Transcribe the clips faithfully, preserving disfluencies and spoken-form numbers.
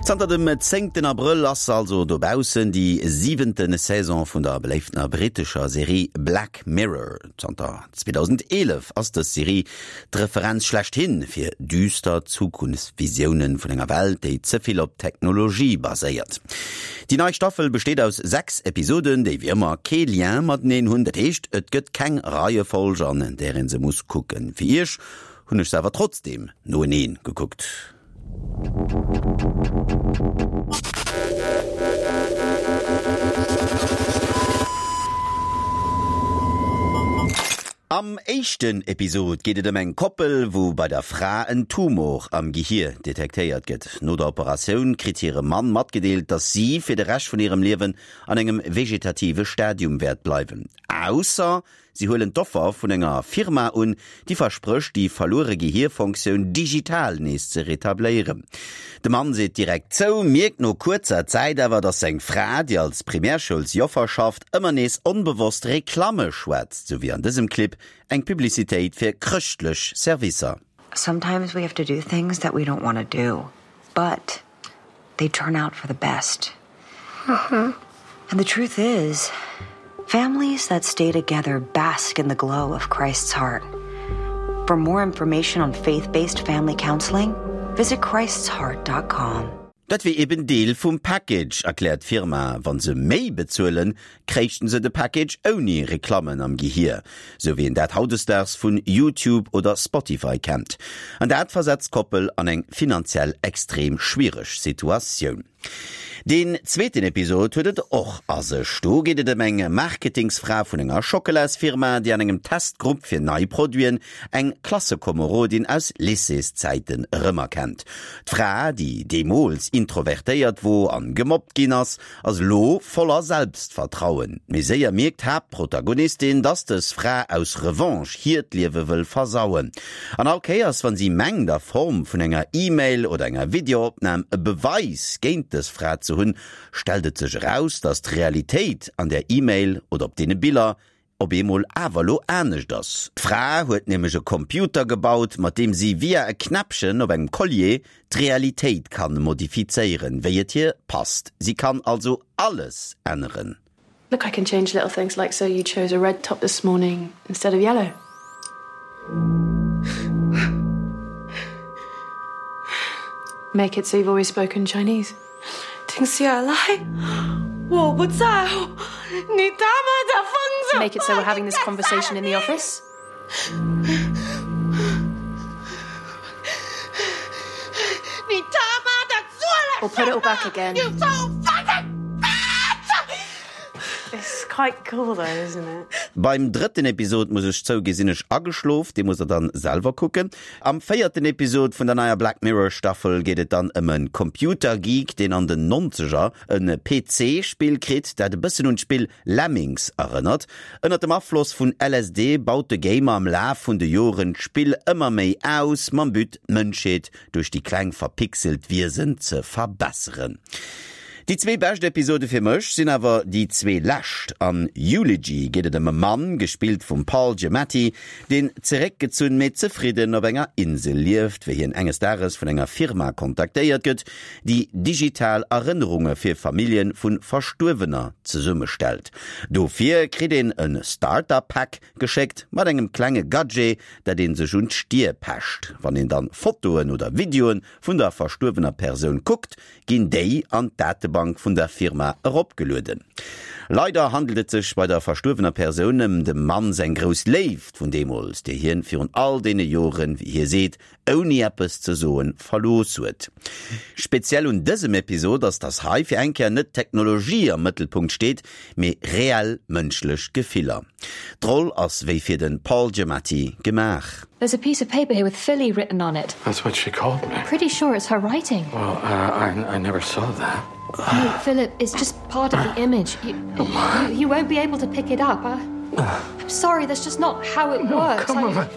Zanter dem zéngten Abrëll ass also dobaussen déi siwente Saison vun der beléiftener brittescher Serie Black Mirror. Zanter zweedausendeelef ass dës Serie d'Referenz schlechthin fir düster Zukunftsvisioune vun enger Welt, déi ze vill op Technologie baséiert. Déi nei Staffel besteet aus sechs Episoden, déi wéi ëmmer kee Lien mateneen hunn. Dat heescht, et gëtt keng Reiefolg, an där ee se muss kucken. Fir iech hunn ech se awer trotzdeem noeneen gekuckt. Am éischten Episod geet et ëm eng Koppel, wou bei der Fra en Tumor am Gehier detektéiert gëtt. No der Operatioun kritt hire Mann matgedeelt, dass si fir de Rescht vun hirem Liewen an engem vegetative Stadium wäert bleiwen, ausser si huelen d'Offer vun enger Firma un, déi versprécht, déi verluere Gehierfunktioun digital nees ze retabléieren. De Mann seet direkt zou, mierkt no kuerzer Zäit awer, dass seng Fra, déi als Primärschoulsjoffer schafft, ëmmer nees onbewosst Reklamme schwätzt, sou wéi an dësem Clip eng Publicitéit fir chrëschtlech Servicer. Sometimes we have to do things that we don't want to do, but they turn out for the best. And the truth is, families that stay together bask in the glow of Christ's heart. For more information on faith-based family counseling, visit christs heart dot com. Dat wier eben Deel vum Package, erkläert d'Firma. Wa se méi bezuelen, kréichten se de Package ouni Reklammen am Gehier, sou wéi een dat hautdesdaags vun YouTube oder Spotify kennt. An dat versetzt d'Koppel an eng finanziell extrem schwiereg Situatioun. Deen zweeten Episod huet et och a sech. Do geet et ëm eng Marketingsfra vun enger Schockelasfirma, déi an engem Testgrupp fir nei Produiten eng Klassekomerodin aus Lycéeszäiten erëmerkennt. D'Fra, déi deemools introvertéiert wor an gemobbt ginn ass, ass elo voller Selbstvertrauen. Mee séier mierkt d'Haaptprotagonistin, dass dës Fra aus Revanche hiert Liewe wëll versauen. An all Kéiers, wann si mengt, a Form vun enger E-Mail oder enger Videoopnam e Beweis géint dës Fra ze hunn, stellt et sech eraus, dass d'Realitéit an der E-Mail oder op deene Biller op eemol awer lo anescht ass. D'Fra huet nämlech e Computer gebaut, mat deem si via e Knäppchen op engem Collier d'Realitéit kann modifizéieren, wéi et hir passt. Si kann also alles änneren. Look, I can change little things like so you chose a red top this morning instead of yellow. Make it so you've always spoken Chinese. 停下来，我不在乎你他妈的疯子！ Make it so we're having this conversation in the office. 你他妈的做了 Or put it all back again. You so fucking bitch! It's quite cool though, isn't it? Beim drëtten Episod, muss ech zouginn, sinn ech ageschlof, dee musst der dann selwer kucken. Am véierten Episod vun der neier Black Mirror Staffel geet et dann ëm e Computergeek, deen an den Nonzeger e P C-Spill kritt, dat e bëssen un d'Spill Lemmings erënnert. Ënnert dem Afloss vun L S D baut de Gamer am Laf vun de Joren d'Spill ëmmer méi aus, mam But, d'Mënschheet duerch déi kleng verpixelt Wiesen ze verbesseren. Déi zwee bescht Episode fir mech sinn awer déi zwee lescht. An Eulogy geet et ëm e Mann, gespillt vum Paul Giamatti, deen zeréckgezunn mee zefridden op enger Insel lieft, wéi hien enges Dages vun enger Firma kontaktéiert gëtt, déi digital Erënnerunge fir Famillje vu Verstuerwener zesummestellt. Dofir kritt een e Starter-Pack geschéckt mat engem klenge Gadget, dat ee sech un d'Stier pecht. Wann een dann Fotoen oder Videoe vun der verstuerwener Persoun kuckt, ginn déi an d'Datebank vun der Firma eropgelueden. Leider handelt et sech bei der verstuerwener Persoun ëm dem Mann seng grouss Léift vun deemools, déi hien virun all deene Joren, wéi hie seet, ouni eppes ze soen, verlooss huet. Speziell un dësem Episod ass, dass hei fir eng Kéier net d'Technologie am Mëttelpunkt steet, mee reell mënschlech Gefiller. D'Roll ass wéi fir de Paul Giamatti gemaach. There's a piece of paper here with Philly written on it. That's what she called me. Pretty sure it's her writing. Well, uh, I, I never saw that. No, Philip, it's just part of the image. You, you, you won't be able to pick it up. I, I'm sorry, that's just not how it No, works. come I- on.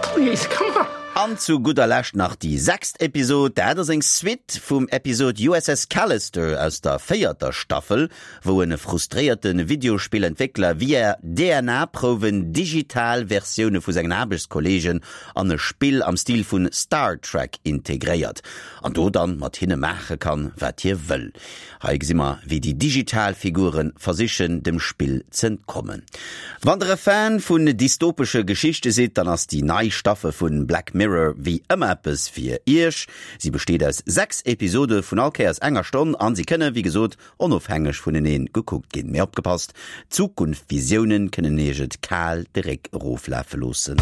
Please, come on. An zu gudder Lescht nach déi sechst Episod, dat ass eng Suite vum Episod U S S Callister aus der véierter Staffel, wou e frustréierte Videospillentwéckler via D N A-Prouwen digital Versioune vu sengen Aarbechtskolleegen an e Spill am Stil vun Star Trek integréiert an do dann mat hinne maache kann, wat hie wëll. Hei gesi mer, wéi déi digital Figure versichen, dem Spill z'entkommen. Wann der e Fan vun dystopesche Geschichte sidd, dann ass déi nei Staffel vun Black Mirror wéi ëmmer eppes fir iech. Si besteet aus sechs Episode vun all Kéiers enger Stonn an si kënne wéi gesot onofhängeg vunenee gekuckt ginn. Mee opgepasst, Zukunftsvisioune kënnen iech et kal de Réck eroflafe loossen.